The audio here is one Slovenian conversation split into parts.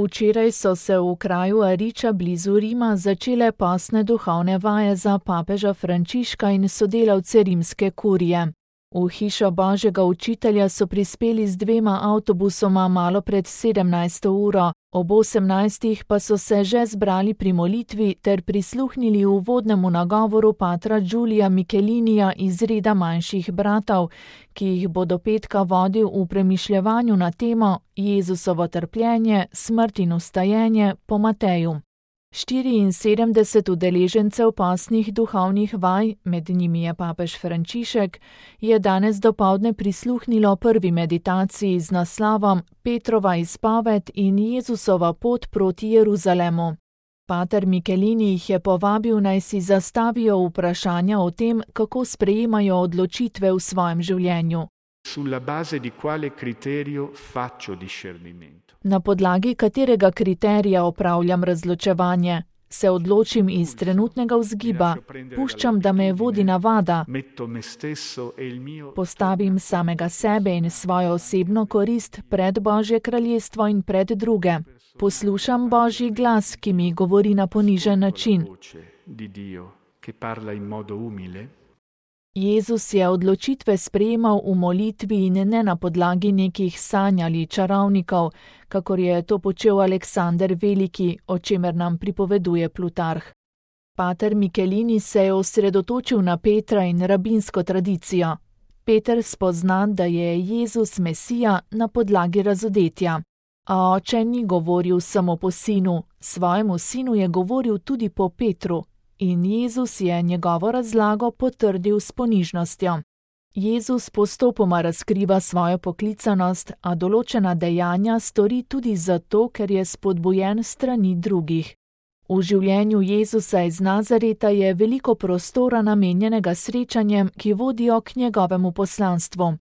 Včeraj so se v kraju Ariča blizu Rima začele postne duhovne vaje za papeža Frančiška in sodelavce rimske kurije. V hišo Božjega učitelja so prispeli z 2 avtobusoma malo pred 17. uro, ob 18. pa so se že zbrali pri molitvi ter prisluhnili uvodnemu nagovoru patra Giulia Michelinija iz reda manjših bratov, ki jih bo do petka vodil v premišljevanju na temo Jezusovo trpljenje, smrt in vstajenje po Mateju. 74 udeležencev postnih duhovnih vaj, med njimi je papež Frančišek, je danes dopoldne prisluhnilo prvi meditaciji z naslovom Petrova izpoved in Jezusova pot proti Jeruzalemu. Pater Michelini jih je povabil, naj si zastavijo vprašanja o tem, kako sprejemajo odločitve v svojem življenju. Sulla base di quale criterio faccio discernimento? Na podlagi katerega kriterija opravljam razločevanje? Se odločim iz trenutnega vzgiba, puščam, da me vodi navada, postavim samega sebe in svojo osebno korist pred Božje kraljestvo in pred druge. Poslušam Božji glas, ki mi govori na ponižen način. Jezus je odločitve sprejemal v molitvi in ne na podlagi nekih sanj ali čarovnikov, kakor je to počel Aleksander Veliki, o čemer nam pripoveduje Plutarh. Pater Michelini se je osredotočil na Petra in rabinsko tradicijo. Peter spozna, da je Jezus Mesija na podlagi razodetja. A oče ni govoril samo po sinu, svojemu sinu je govoril tudi po Petru. In Jezus je njegovo razlago potrdil s ponižnostjo. Jezus postopoma razkriva svojo poklicanost, a določena dejanja stori tudi zato, ker je spodbujen strani drugih. V življenju Jezusa iz Nazareta je veliko prostora namenjenega srečanjem, ki vodijo k njegovemu poslanstvu.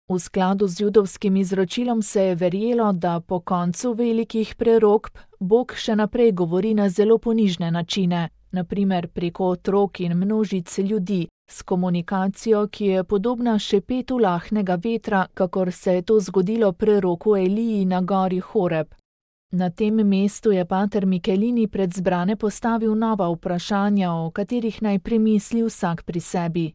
V skladu z judovskim izročilom se je verjelo, da po koncu velikih prerokb Bog še naprej govori na zelo ponižne načine, na primer preko otrok in množic ljudi, s komunikacijo, ki je podobna šepetu lahnega vetra, kakor se je to zgodilo preroku Eliji na gori Horeb. Na tem mestu je pater Michelini pred zbrane postavil nova vprašanja, o katerih naj premisli vsak pri sebi.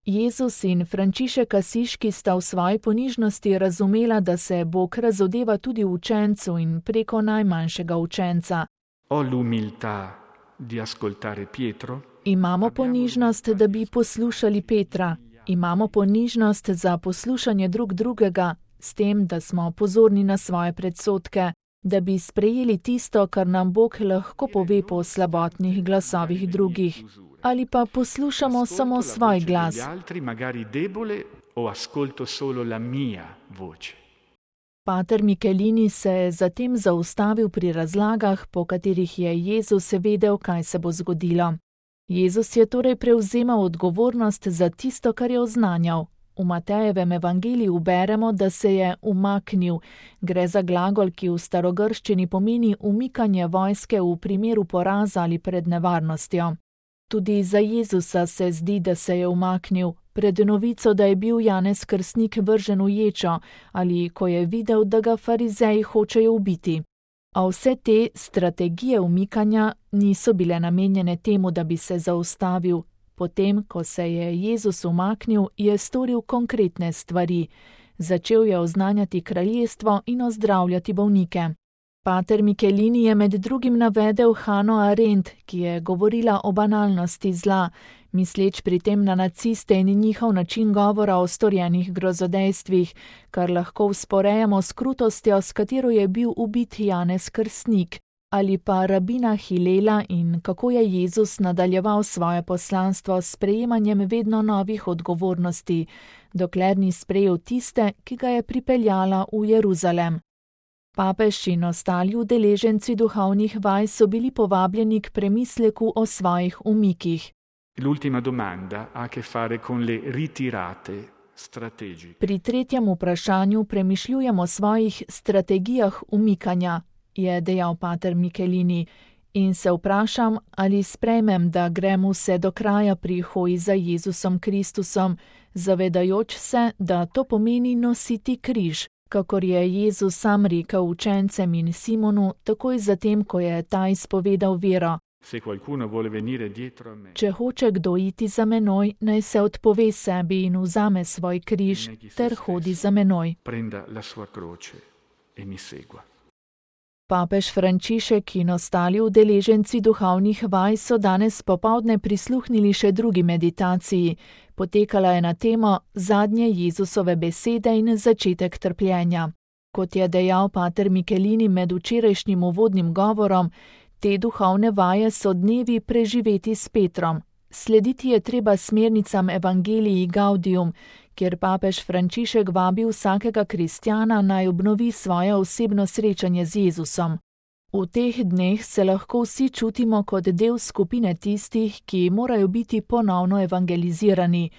Jezus in Frančišek Asiški sta v svoji ponižnosti razumela, da se Bog razodeva tudi učencu in preko najmanjšega učenca. Imamo ponižnost, da bi poslušali Petra. Imamo ponižnost za poslušanje drug drugega, s tem, da smo pozorni na svoje predsodke, da bi sprejeli tisto, kar nam Bog lahko pove po slabotnih glasovih drugih. Ali pa poslušamo samo svoj glas. Pater Michelini se je zatem zaustavil pri razlagah, po katerih je Jezus vedel, kaj se bo zgodilo. Jezus je torej prevzemal odgovornost za tisto, kar je oznanjal. V Matejevem evangeliju beremo, da se je umaknil. Gre za glagol, ki v starogrščini pomeni umikanje vojske v primeru poraza ali pred nevarnostjo. Tudi za Jezusa se zdi, da se je umaknil, pred novico, da je bil Janez Krstnik vržen v ječo, ali ko je videl, da ga farizeji hočejo ubiti. A vse te strategije umikanja niso bile namenjene temu, da bi se zaustavil. Potem, ko se je Jezus umaknil, je storil konkretne stvari. Začel je oznanjati kraljestvo in ozdravljati bolnike. Pater Michelini je med drugim navedel Hano Arendt, ki je govorila o banalnosti zla, misleč pri tem na naciste in njihov način govora o storjenih grozodejstvih, kar lahko vzporejamo s krutostjo, s katero je bil ubit Janez Krstnik, ali pa rabina Hilela in kako je Jezus nadaljeval svoje poslanstvo s sprejemanjem vedno novih odgovornosti, dokler ni sprejel tiste, ki ga je pripeljala v Jeruzalem. Papež in ostali udeleženci duhovnih vaj so bili povabljeni k premisleku o svojih umikih. Pri tretjem vprašanju premišljujem o svojih strategijah umikanja, je dejal pater Michelini, in se vprašam, ali sprejmem, da grem vse do kraja pri hoji za Jezusom Kristusom, zavedajoč se, da to pomeni nositi križ, Kakor je Jezus sam rekel učencem in Simonu, takoj zatem, ko je ta izpovedal vero: Se qualcuno vuole venire dietro a me, Če hoče kdo iti za menoj, naj se odpove sebi in vzame svoj križ ter hodi za menoj. prenda la sua croce e mi segua. Papež Frančišek in ostali udeleženci duhovnih vaj so danes popoldne prisluhnili še drugi meditaciji. Potekala je na temo Zadnje Jezusove besede in začetek trpljenja. Kot je dejal pater Michelini med včerajšnjim uvodnim govorom, te duhovne vaje so dnevi preživeti s Petrom. Slediti je treba smernicam Evangelii Gaudium, kjer papež Frančišek vabi vsakega kristjana naj obnovi svoje osebno srečanje z Jezusom. V teh dneh se lahko vsi čutimo kot del skupine tistih, ki morajo biti ponovno evangelizirani,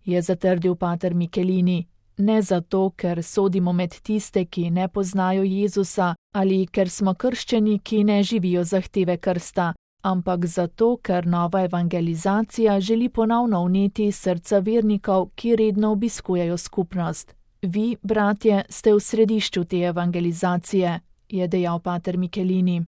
je zatrdil pater Michelini. Ne zato, ker sodimo med tiste, ki ne poznajo Jezusa, ali ker smo krščeni, ki ne živijo zahteve krsta, ampak zato, ker nova evangelizacija želi ponovno vneti srca vernikov, ki redno obiskujejo skupnost. Vi, bratje, ste v središču te evangelizacije, je dejal pater Michelini.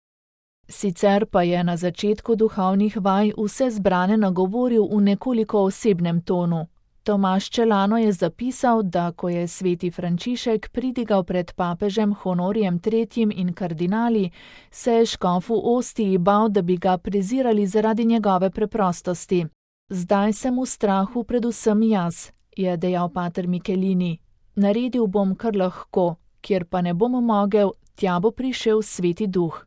Sicer pa je na začetku duhovnih vaj vse zbrane nagovoril v nekoliko osebnem tonu. Tomaž Čelano je zapisal, da ko je sveti Frančišek pridigal pred papežem Honorijem III. In kardinali, se je škof v Ostiji bal, da bi ga prezirali zaradi njegove preprostosti. Zdaj sem v strahu predvsem jaz, je dejal pater Michelini. Naredil bom, kar lahko, kjer pa ne bom mogel, tja bo prišel Sveti Duh.